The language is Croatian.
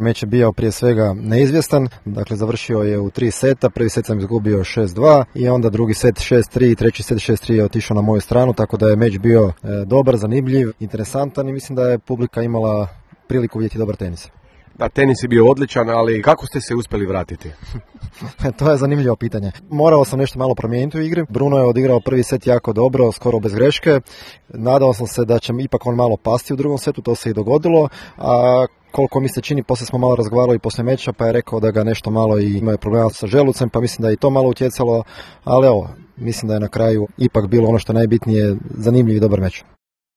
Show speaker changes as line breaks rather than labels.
Meč je bio prije svega neizvjestan, dakle završio je u 3 seta, prvi set sam izgubio 6-2 i onda drugi set 6-3, treći set 6-3 je otišao na moju stranu, tako da je meč bio dobar, zanimljiv, interesantan i mislim da je publika imala priliku vidjeti dobar tenis.
Da, tenis je bio odličan, ali kako ste se uspjeli vratiti?
To je zanimljivo pitanje. Morao sam nešto malo promijeniti u igri. Bruno je odigrao prvi set jako dobro, skoro bez greške. Nadao sam se da će ipak on malo pasti u drugom setu, to se i dogodilo. A koliko mi se čini, poslije smo malo razgovarali poslije meča, pa je rekao da ga nešto malo i ima problema sa želucem, pa mislim da je i to malo utjecalo. Ali evo, mislim da je na kraju ipak bilo ono što je najbitnije, zanimljiv i dobar meč.